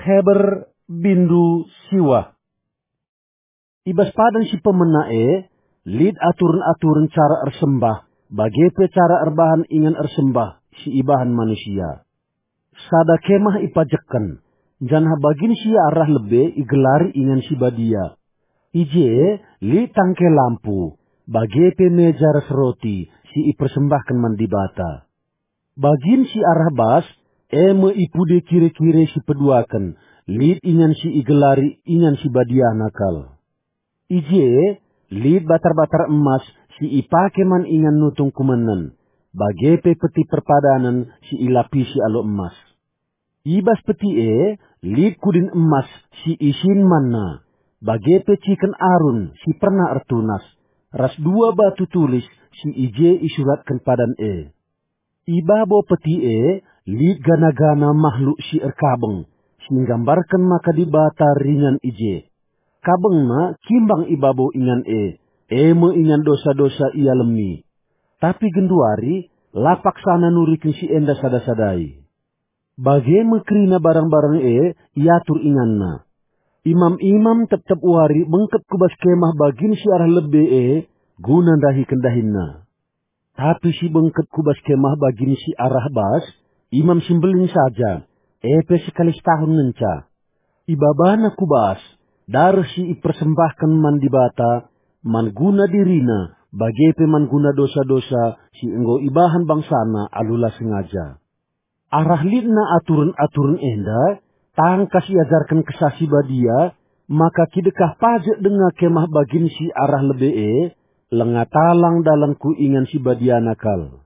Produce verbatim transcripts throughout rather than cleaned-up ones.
Heber bindu siwah. I bas padan si pemena e, lit aturen-aturen cara ersembah, bage pe cara erbahan ingan ersembah si ibahan manusia. Sada kemah ipajekken, janah bagin si arah lebe igelari ingan si badia. I je lit tangke lampu, bage pe meja ras roti si ipersembahken man Dibata. Bagin si arah bas, e me ipude kire-kire si peduaken, lit ingan si igelari ingan si badiana kal. I je lit batar-batar emas si ipake man ingan nutung kumenen, bage pe peti perpadanen si ilapisi alu emas. I bas peti e lit kudin emas si isin manna, bage pe ciken Arun si pernah ertunas, ras dua batu tulis si i je isuratken padan e. I babo peti e lit gana-gana mahluk si erkabeng, si nggambarken maka Dibata ringan i je. Kabengna kimbang i babo ingan e, e me ingan dosa-dosa ialemi. Tapi genduari la paksana nuriken si enda sada-sadai. Bage me kerina barang-barang e iatur inganna. Imam-imam tep-tep wari bengket ku bas kemah bagin si arah lebe e guna ndahiken dahinna. Tapi si bengket ku bas kemah bagin si arah bas, Imam si Mbelin saja, e pe sekali setahun ngenca. Ibabana ku bas, dareh si ipersembahken man Dibata, man guna dirina, bage pe man guna dosa-dosa si enggo ibahan bangsana alu la sengaja. Arah litna aturen-aturen enda, tangkas iajarken Kesah Si Badia, maka kidekah pajek denga kemah bagin si arah lebe e, langa talang dalan ku ingan si badiana kal.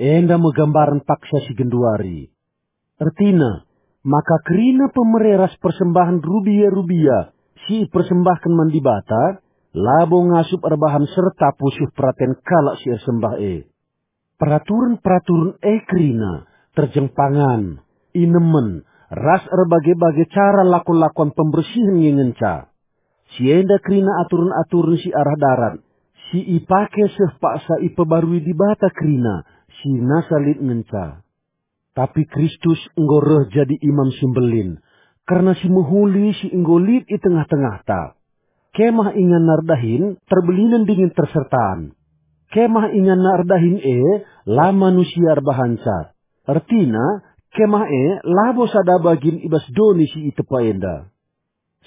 Enda me gambaren paksa si genduari. Ertina, maka kerina pemere ras persembahen rubia-rubia si ipersembahken man Dibata, labo ngasup erbahan serta pusuh peraten kalak si ersembah e. Peraturen-peraturen e kerina, terjeng pangan, inemen, ras erbage-bage cara lakon-lakon pembersihen nge ngenca. Si enda kerina aturen-aturen si arah darat, si ipake seh paksa ipebarui Dibata kerina, si nasa lit ngenca. Tapi Kristus enggo reh jadi Imam si Mbelin, kerna si mehuli si enggo lit i tengah-tengahta. Kemah inganna erdahin terbelinen dingen tersertan. Kemah inganna erdahin e la manusia erbahanca. Ertina, kemah e labo sada bagin i bas doni si itepa enda.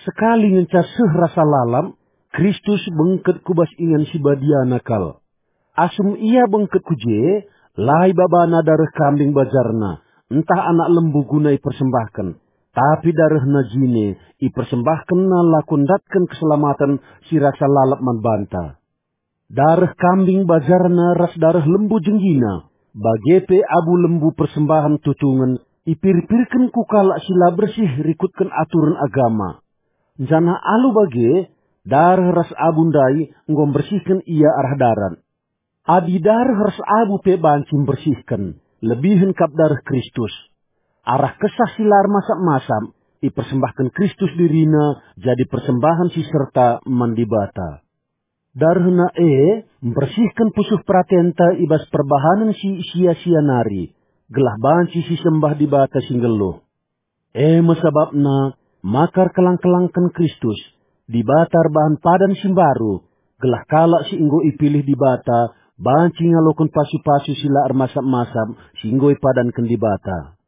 Sekali ngenca seh rasa lalap, Kristus bengket ku bas ingan si badiana kal. Asum ia bengket ku je, la ibabana dareh kambing bajarna, ntah anak lembu guna ipersembahken, tapi darehna jine ipersembahkenna lako ndatken keselamaten si rasa lalap man banta. Dareh kambing bajarna ras dareh lembu jenggina, bage pe abu lembu persembahen tutungen, ipirpirken ku kalak si la bersih rikutken aturen agama. Janah alu bage, dareh ras abu ndai enggo mbersihken ia arah darat. Adi dareh ras abu pe banci mbersihken, lebihen kap dareh Kristus. Arah Kesah si la ermasap-masap, ipersembahken Kristus dirina jadi persembahen si serta man Dibata. DarehNa e mbersihken pusuh peratenta i bas perbahanen si sia-sia nari, gelah banci sisembah Dibata si nggeluh. E me sabapna maka erkelang-kelangken Kristus, Dibata erbahan padan si mbaru, gelah kalak si enggo ipilih Dibata banci ngaloken pasu-pasu si la ermasap-masap si enggo ipadanken Dibata.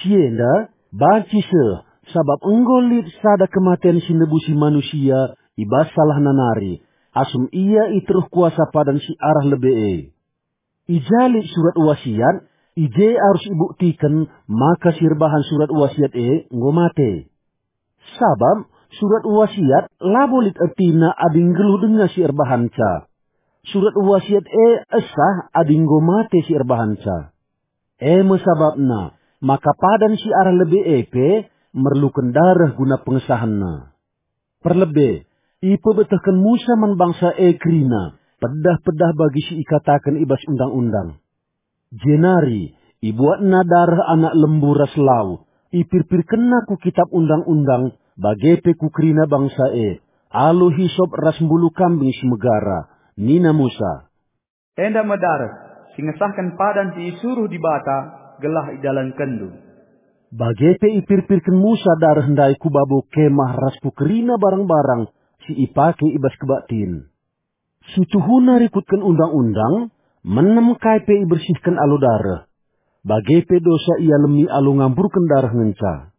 Si enda banci seh, sabap enggo lit sada kematen si nebusi manusia i bas salahna nari, asum ia i teruh kuasa padan si arah lebe e. I ja lit surat wasiat, i je arus ibuktiken maka si erbahan surat wasiat e enggo mate. Sabap surat wasiat labo lit ertina adi nggeluh denga si erbahanca. Surat wasiat e esah adi enggo mate si erbahanca. E me sabapna maka padan si arah lebe e pe merluken dareh guna pengesahenna. Perlebe, ipebetehken Musa man bangsa e kerina pedah-pedah bagi si ikataken i bas Undang-undang. Jenari ibuatna dareh anak lembu ras lau, ipirpirkenna ku kitap Undang-undang, bage pe ku kerina bangsa e, alu hisop ras mbulu kambing si megara. Nina Musa, "Enda me dareh si ngesahken padan si isuruh Dibata gelah idalankenndu." Bage pe ipirpirken Musa dareh ndai ku babo kemah ras ku kerina barang-barang si ipake i bas kebaktin. Si tuhuna rikutken Undang-undang, menem kai pe ibersihken alu dareh. Bage pe dosa ialemi alu ngamburken dareh ngenca.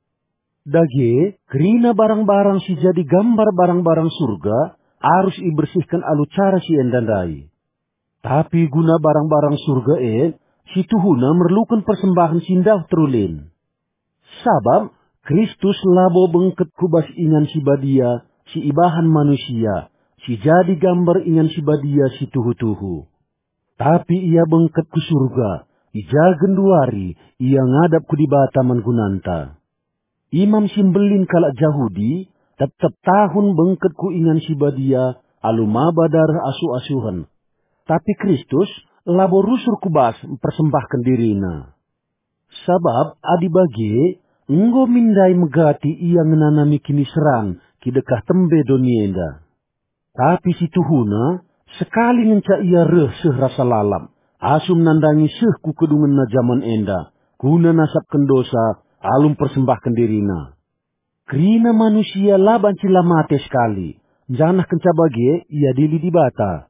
Dage, kerina barang-barang si jadi gambar barang-barang Surga arus ibersihken alu cara si enda ndai. Tapi guna barang-barang Surga e, si tuhuna merluken persembahen si ndauh terulin. Sabap Kristus labo bengket ku bas ingan si badia si ibahan manusia, si jadi gambar ingan si badia si tuhu-tuhu. Tapi ia bengket ku Surga, i ja genduari ia ngadap ku Dibata man gunanta. Imam si mbelin kalak Jahudi tep-tep tahun bengket ku ingan si badia alu maba dareh asuh-asuhen. Tapi Kristus labo rusur ku bas mpersembahken diriNa. Sabap adi bage, enggo min ndai megati ia ngenanami kiniseran kidekah tembe doni enda. Tapi si tuhuna, sekali ngenca ia reh seh rasa lalap, asum nandangi seh ku kedungenna jaman enda, guna nasapken dosa alu mpersembahken dirina. Kerina manusia la banci la mate sekali, janah kenca bage iadili Dibata.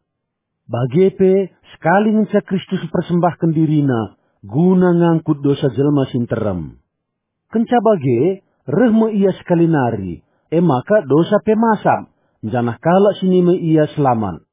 Bage pe, sekali ngenca Kristus mpersembahken dirina guna ngangkut dosa jelma si nterem. Kenca bage, reh me ia sekali nari, e maka dosa pe masap, janah kalak si nime ia selamat.